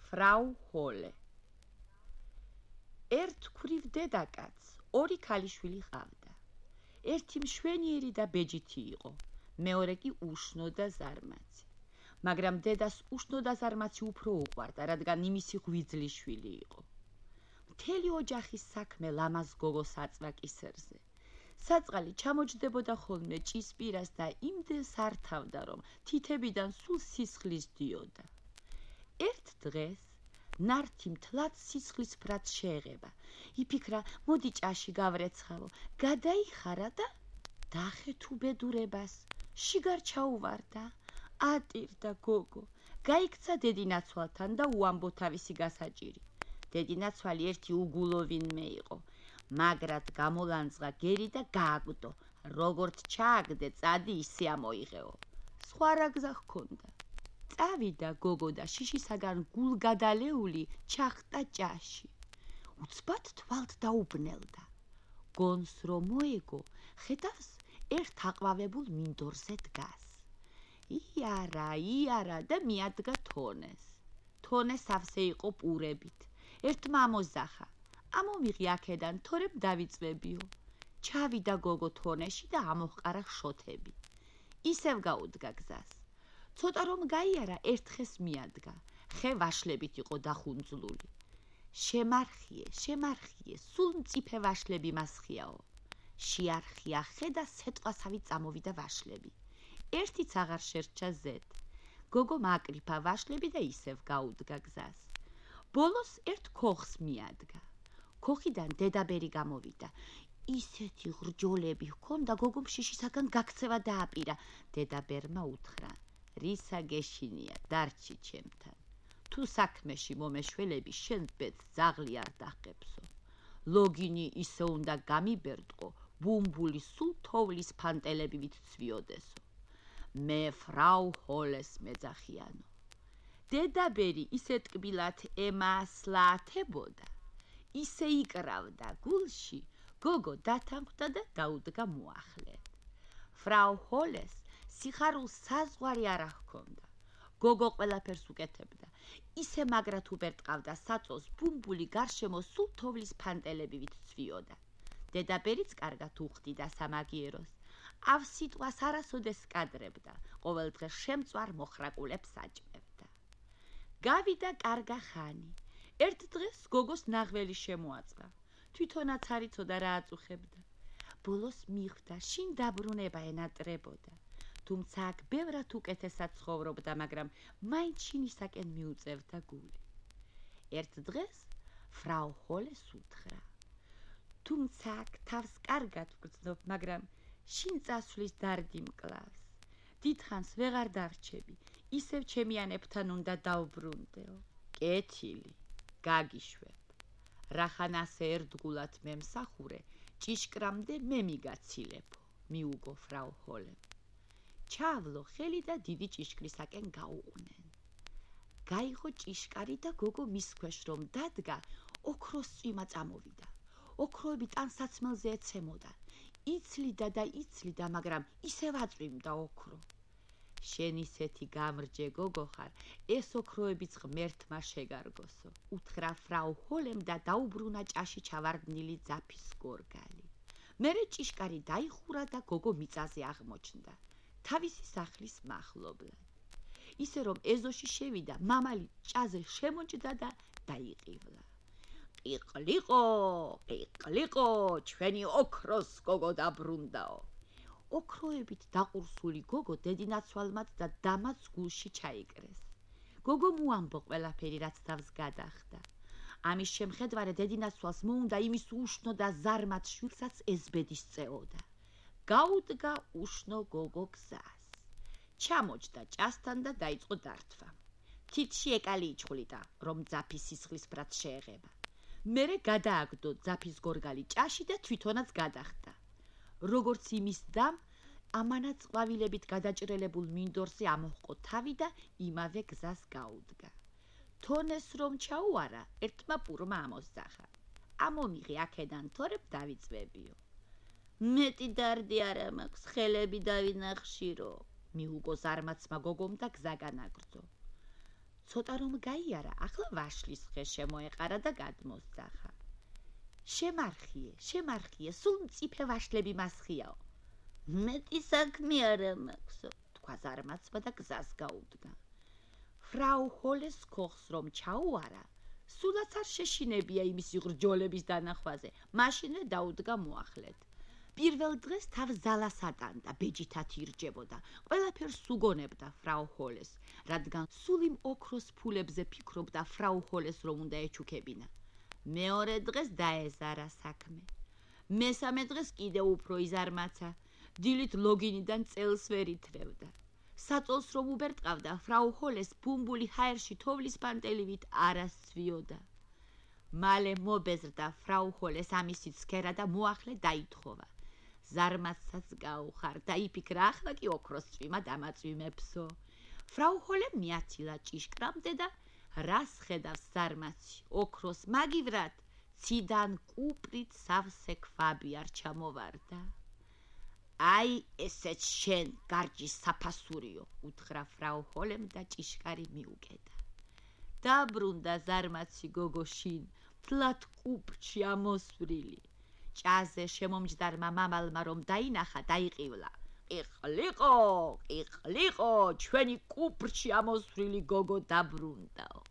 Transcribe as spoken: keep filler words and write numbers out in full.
ფრაუ ჰოლე. ერთ ქვრივ დედაკაცს ორი ქალიშვილი ჰყავდა. ერთი მშვენიერი და ბეჯითი იყო, მეორე კი უშნო და ზარმაცი. მაგრამ დედას უშნო და ზარმაცი უფრო უყვარდა, რადგან იმისი ღვიძლი შვილი იყო. მთელი ოჯახის საქმე ლამაზ გოგოს აწვა კისერზე. საწყალი ჩამოჯდებოდა ხოლმე ჭისპირას და იმდენს ართავდა, რომ თითებიდან სულ სისხლის დიოდა. ერთ დღეს ნართი მთლად სისხლის ფრაც შეეღება. იფიქრა, მოდი ჭაში გავრეცხავო, გადაიხარა და დახეთ უბედურებას. შიგარ ჩაუვარდა, ატირდა გოგო, გაიქცა დედინაცვალთან და უამბო თავისი გასაჭირი. დედინაცვალი ერთი უგულო ვინმე იყო, მაგრად გამოლანძღა გერი და გააგდო, როგორც ჩააგდე წადი ისე ამოიღეო. სხვა რა გზა ჰქონდა. წავიდა გოგო და შიშისაგან გულგადალეული ჩახტა ჭაში. უცბად თვალთ დაუბნელდა. გონს რომ მოეგო, ხედავს ერთ აყვავებულ მინდორზე დგას. იარა, იარა და მიადგა თონეს. თონე სავსე იყო პურებით. ერთმა ამოზახა, ამომიღი აქედან, თორემ დავიწვებიო. ჩავიდა გოგო თონეში და ამოჰყარა შოთები. ისევ გაუდგა გზას. ცოტა რომ გაიარა, ერთხეს მიადგა. ხე ვაშლებით იყო დახუნძლული. შემარხიე, შემარხიე, სულ მწიფე ვაშლები მასხიაო. შეარხია ხე და სეტყვასავით წამოვიდა ვაშლები. ერთიც აღარ შერჩა ზედ. გოგო მაკრიფა ვაშლები და ისევ გაუდგა გზას. ბოლოს ერთ ქოხს მიადგა. ქოხიდან დედაბერი გამოვიდა. ისეთი ღრჯოლები ჰქონდა, გოგომ შიშისაგან გაქცევა დააპირა. დედაბერმა უთხრა, რისა გეშინია, დარჩი ჩემთან. თუ საქმეში მომეშველები, შენ ბედს ძაღლი არ დახებსო. ლოგინი ისე უნდა გამიბერტყო, ბუმბული სულ თოვლის ფანტელებივით ცვიოდესო. მე ფრაუ ჰოლეს მეძახიანო. დედაბერი ისე ტკბილად ემასლათებოდა, ისე იკრავდა გულში, გოგო დათანხმდა და დაუდგა მოახლედ. ფრაუ ჰოლეს სიხარულს საზღვარი არ ჰქონდა. გოგო ყველაფერს უკეთებდა. ისე მაგრად უბერტყავდა საწოლს, ბუმბული გარშემო სულ თოვლის ფანტელებივით ცვიოდა. დედაბერიც კარგად უხდიდა სამაგიეროს. ავ სიტყვას არასოდეს კადრებდა, ყოველ დღეს შემწვარ მოხრაკულებს აჭმევდა. გავიდა კარგა ხანი. ერთ დღეს გოგოს ნაღველი შემოაწყა. თვითონაც არ იცოდა რა აწუხებდა. ბოლოს მიხვდა, შინ დაბრუნება ენატრებოდა. თუმცა აქ ბევრად უკეთესად ცხოვრობდა, მაგრამ მაინც შინისაკენ მიუწევდა გული. ერთ დღეს ფრაუ ჰოლეს უთხრა, თუმცა აქ თავს კარგად ვგრძნობ, მაგრამ შინ წასვლის დარდი მკლავს. დიდხანს ვეღარ დარჩები, ისევ ჩემიანებთან უნდა დავბრუნდეო. კეთილი, გაგიშვებ. რახან ასე ერთგულად მემსახურე, ჭიშკრამდე მე მიგაცილებო, მიუგო ფრაუ ჰოლემ. ჩავლო ხელი და დიდი ჭიშკრისაკენ გაუყვნენ. გაიღო ჭიშკარი და გოგო მის ქვეშ რომ დადგა, ოქროს წვიმა წამოვიდა. ოქროები ტანსაცმელზე ეცემოდა. იცლიდა და იცლიდა, მაგრამ ისევ აწვიმდა ოქრო. შენ ისეთი გამრჯე გოგო ხარ, ეს ოქროებიც ღმერთმა შეგარგოსო, უთხრა ფრაუ ჰოლემ და დაუბრუნა ჭაში ჩავარდნილი ძაფის გორგალი. მერე ჭიშკარი დაიხურა და გოგო მიწაზე აღმოჩნდა. თავისი სახლის მახლობლად. ისე რომ ეზოში შევიდა, მამალი ჭაზე შემოჭდა და დაიყივლა. ყიყლიყო, ყიყლიყო, ჩვენი ოქროს გოგო დაბრუნდაო. ოქროებით დაყურსული გოგო დედინაცვალმაც და დამაც გულში ჩაიკრეს. გოგო მოამბო ყველაფერი, რაც თავს გადახდა. ამის შემხედვარე დედინაცვალს მოუნდა იმის უშნო და ზარმაც შვილსაც ეზბედი სწეოდა. გაუდგა უშნო გოგო გზას. ჩამოჯდა ჭასთან და დაიწყო დართვა. თითში ეკალი იჩხვლიდა, რომ ძაფის სისხლის ფრაც შეეღება. მერე გადააგდო ძაფის გორგალი ჭაში და თვითონაც გადახტა. როგორც იმის დამ, ამანაც ყვავილებით გადაჭრელებულ მინდორზე ამოჰყო თავი და იმავე გზას გაუდგა. თონეს რომ ჩაუარა, ერთმა პურმა ამოზახა. ამომიღე აქედან, თორემ დავიწვებიო. მეტი დარდი არა მაქვს, ხელები დავინახშირო, მიუგო ზარმაცმა გოგომ და გზა განაგრძო. ცოტა რომ გაიარა, ახლა ვაშლის ხე შემოეყარა და გადმოსძახა. შემარხიე, შემარხიე, სულ მწიფე ვაშლები მასხიაო. მეტი საქმე არა მაქვსო, თქვა ზარმაცმა და გზას გაუდგა. ფრაუ ჰოლეს ქოხს რომ ჩაუარა, სულაც არ შეშინებია იმის იღრჯოლების დანახვაზე, მაშინვე დაუდგა მოახლედ. პირველ დღეს თავ ზალას ატანდა, ბეჯითად ირჯებოდა, ყველაფერს უგონებდა ფრაუ ჰოლეს, რადგან სულ იმ ოქროს ფულებზე ფიქრობდა ფრაუ ჰოლეს რომ უნდა ეჩუქებინა. მეორე დღეს დაეზარა საქმე. მესამე დღეს კიდევ უფრო იზარმაცა, დილით ლოგინიდან წელს ვერ ითრევდა. საწოლს რომ უბერტყავდა, ფრაუ ჰოლეს ბუმბული ჰაერში თოვლის პანტელივით არასცვიოდა. მალე მობეზრდა ფრაუ ჰოლეს ამისი ცქერა და მოახლე დაითხოვა. ზარმაცაც გაუხარ და იფიქრა, ახლა კი ოქროს წვიმა დამაწვიმებსო. ფრაუ ჰოლემ მიაცილა ჭიშკრამდე და რას ხედავს ზარმაცი, ოქროს მაგივრად, ციდან კუპრით სავსე ქვაბი არ ჩამოვარდა. აი ესეც შენ გარჯის საფასურიო, უთხრა ფრაუ ჰოლემ და ჭიშკარი მიუგედა. დაბრუნდა ზარმაცი გოგოშინ, თლად კუპრში ამოსვრილი. ჭაზე შემომჯდარმა მამალმა რომ დაინახა, დაიყივლა. ყიყლიყო, ყიყლიყო, ჩვენი კუპრში ამოსვრილი გოგო დაბრუნდაო.